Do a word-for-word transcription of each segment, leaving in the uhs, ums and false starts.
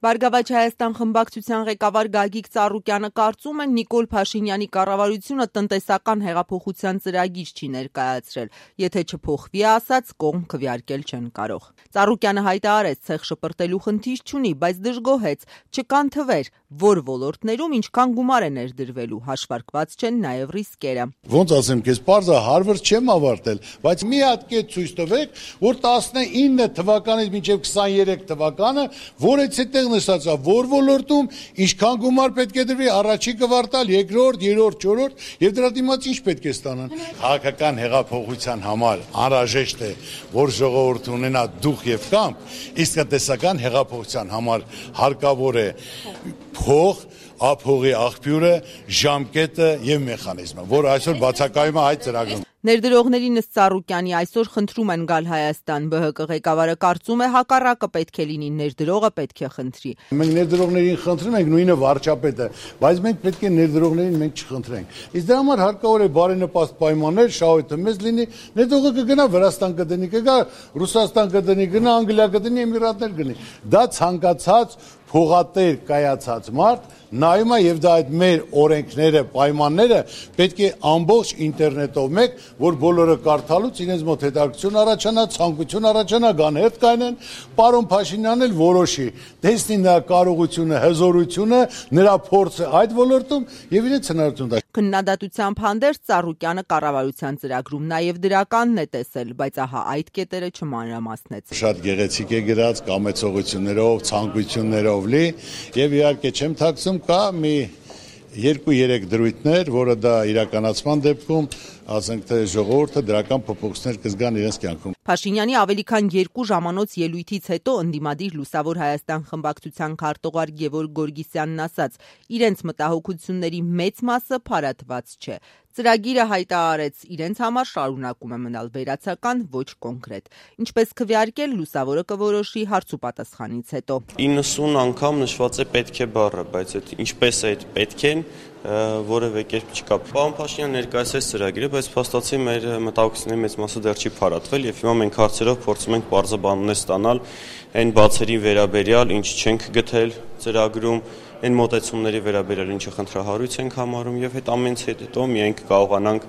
Բարգավաճ Հայաստան խմբակցության ղեկավար Գագիկ Ծառուկյանը կարծում է, Նիկոլ Փաշինյանի կառավարությունը տնտեսական հեղափոխության ծրագիր չի ներկայացրել, եթե չփոխվի ասած, կողմ քվեարկել չեն կարող։ Ծառուկյանը հայտարարեց, ցեխ շպրտելու խնդիր չունի, բայց դժգոհեց, չկան թվեր, որ ոլորտներում ինչքան գումար է ներդրվելու, հաշվարկված չեն նաև ռիսկերը։ Ոնց ասեմ, քեզ պարզը Հարվարդ չեմ ավարտել, բայց մի հատ կետ ցույց տվեք, որ տասնինը թվականից մինչև քսաներեք թվականը, որից հետեղ նշած է, որ ոլորտում ինչքան գումար պետք է դրվի առաջի կվարտալ, երկրորդ, երրորդ, չորրորդ եւ դրա դիմաց ինչ պետք է ստանան։ Քաղաքական հեղափոխության համար անհրաժեշտ է, որ ժողովուրդը ունենա դուխ եւ կամք, իսկ տնտեսական հեղափոխության համար հարկավոր է փող, ափողի աղբյուրը, ժամկետը եւ մեխանիզմը, որ այսօր բացակայում է այդ ծրագրում։ Ներդրողներին ըստ Ծառուկյանի այսօր խնդրում են գալ Հայաստան, ԲՀԿ ղեկավարը կարծում է հակառակը պետք է լինի, ներդրողը պետք է խնդրի։ Մենք ներդրողներին խնդրում ենք, նույնը վարչապետը, բայց մենք պետք է ներդրողներին մենք չխնդրենք։ Իսկ դրա համար հարկավոր է բարենպաստ պայմաններ, շահույթը մեծ լինի, ներդրողը կգնա Վրաստան կդնի, կգա Ռուսաստան կդնի, գնա Անգլիա կդնի, Էմիրատներ գնի։ Դա ցանկացած փողատեր կայացած մարդ նայում է եւ դա այդ մեր օրենքները, պայմանները պետք է ամբողջ ինտերնետով մեկ, որ բոլորը կարդալուց իրենց մոտ հետաքրքրություն առաջանա, ցանկություն առաջանա, գան հերթ կայնեն, պարոն Փաշինյանն էլ որոշի, տեսնի նրա կարողությունը, հզորությունը, նրա փորձը այդ ոլորտում եւ իրենց հնարավորությունը։ Քննադատությամբ հանդերձ Ծառուկյանը կառավարության ծրագրում նաև դրականն է տեսել, բայց ահա այդ կետերը չմանրամասնեց։ Շատ գեղեցիկ է գրած, կամեցողություններով, ցանկություններով լի եւ իհարկե չեմ ཐակցում, կա մի երկու-երեք դրույթներ, որը դա իրականացման դեպքում, ասենք թե ժողովուրդը դրական փոփոխություններ կզգան իրենց կյանքում։ Փաշինյանի ավելի քան երկու ժամանոց ելույթից հետո ընդդիմադիր Լուսավոր Հայաստան խմբակցության քարտուղար Գևորգ Գորգիսյանն ասաց, իրենց մտահոգությունների մեծ մասը փարատված չէ։ Ծրագիրը հայտարարեց, իրենց համար շարունակում է մնալ վերացական, ոչ կոնկրետ։ Ինչպես քվեարկել, Լուսավորը կորոշի հարցուպատասխանից հետո։ իննսուն անգամ նշված է պետք է բառը, բայց այդ ինչպես է այդ պետք են, որևէ կերպ չկա։ Պարոն Փաշինյանը ներկայացրեց ծրագիրը, բայց փաստացի մեր մտահոգությունների մեծ մասը դեռ չի փարատվել եւ հիմա մենք հարցերով փորձում ենք բարձաբանումներ ստանալ այն բացերի վերաբերյալ, ինչ չենք գտել ծրագրում, այն մոտեցումների վերաբերյալ, ինչը խնդրահարույց ենք համարում եւ այդ ամենից հետո միայն կկարողանանք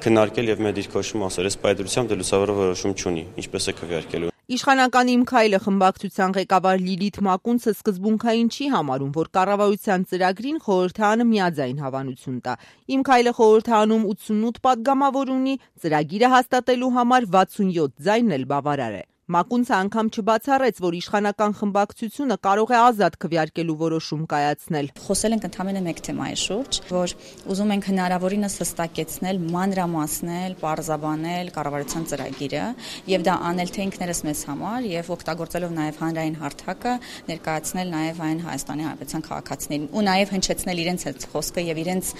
քննարկել եւ մեր դիրքորոշում ասել, այս պայծրությամբ դե Լուսավորը որոշում չունի, ինչպես է քվեարկելու։ Իշխանական Իմ քայլը խմբակցության ղեկավար Լիլիթ Մակունցը սկզբունքային չի համարում, որ կառավարության ծրագրին խորհրդարանը միաձայն հավանություն տա։ Իմ քայլը խորհրդարանում ութսունութ պատգամավոր ունի, ծրագիրը հաստատելու համար վաթսունյոթ ձայն էլ բավարար է։ Մակունցը անգամ չբացառեց, որ իշխանական խմբակցությունը կարող է ազատ քվեարկելու որոշում կայացնել։ Խոսել ենք ընդհանրապես մեկ թեմայի շուրջ, որ ուզում ենք հնարավորինս հստակեցնել, մանրամասնել, պարզաբանել կառավարության ծրագիրը եւ դա անել թե ինքներս մեզ համար եւ օգտագործելով նաեւ հանրային հարթակը ներկայացնել նաեւ այն Հայաստանի Հանրապետության քաղաքացիներին ու նաեւ հնչեցնել իրենց հետ խոսքը եւ իրենց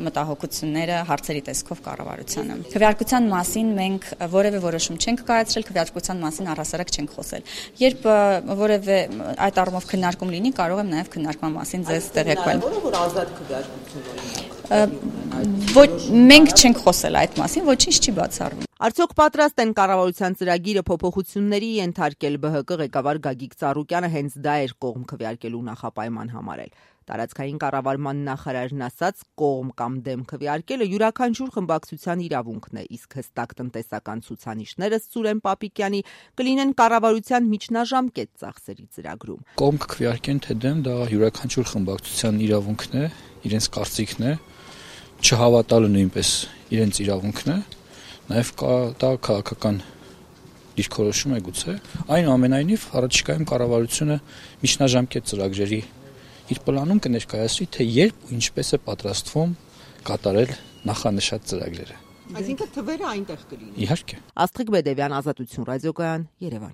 մտահոգությունները հարցերի տեսքով կառավարությանը։ Քվեարկության մասին մենք որևէ որոշում չենք կայացրել, քվեարկության մասին առհասարակ չենք խոսել։ Երբ որևէ այդ առումով քննարկում լինի, կարող եմ նաև քննարկման մասին ձեզ տեղեկել։ Որ ազատ քվեարկություն ունենա։ Ոչ, մենք չենք խոսել այդ մասին, ոչինչ չի բացառվում։ Արդյոք պատրաստ են կառավարության ծրագիրը փոփոխությունների ենթարկել ԲՀԿ ղեկավար Գագիկ Ծառուկյանը հենց դա էր կողմ քվեարկելու նախապայման համարել։ Տարածքային կառավարման նախարարն ասաց, կողմ կամ դեմ քվեարկելը յուրաքանչյուր խմբակցության իրավունքն է, իսկ հստակ տնտեսական ցուցանիշները Սուրեն Պապիկյանի կլինեն կառավարության միջնաժամկետ ծախսերի ծրագրում։ Կողմ քվեարկեն թե դեմ, դա յուրաքանչյուր խմբակցության իրավունքն է, իրենց կարծիքն է, չհավատալը նույնպես իրենց իրավունքն է, նաև դա քաղաքական դիրքորոշում է գուցե։ Այնուամենայնիվ, առաջիկայում կառավարությունը միջնաժամկետ ծրագրերի իր պլանում կներկայացրի, թե երբ ու ինչպես է պատրաստվում կատարել նախանշած ծրագրերը։ Այսինքն թվերը այնտեղ կլինեն։ Իհարկե։ Աստղիկ Բեդևյան, Ազատություն ռադիոկայան, Երևան։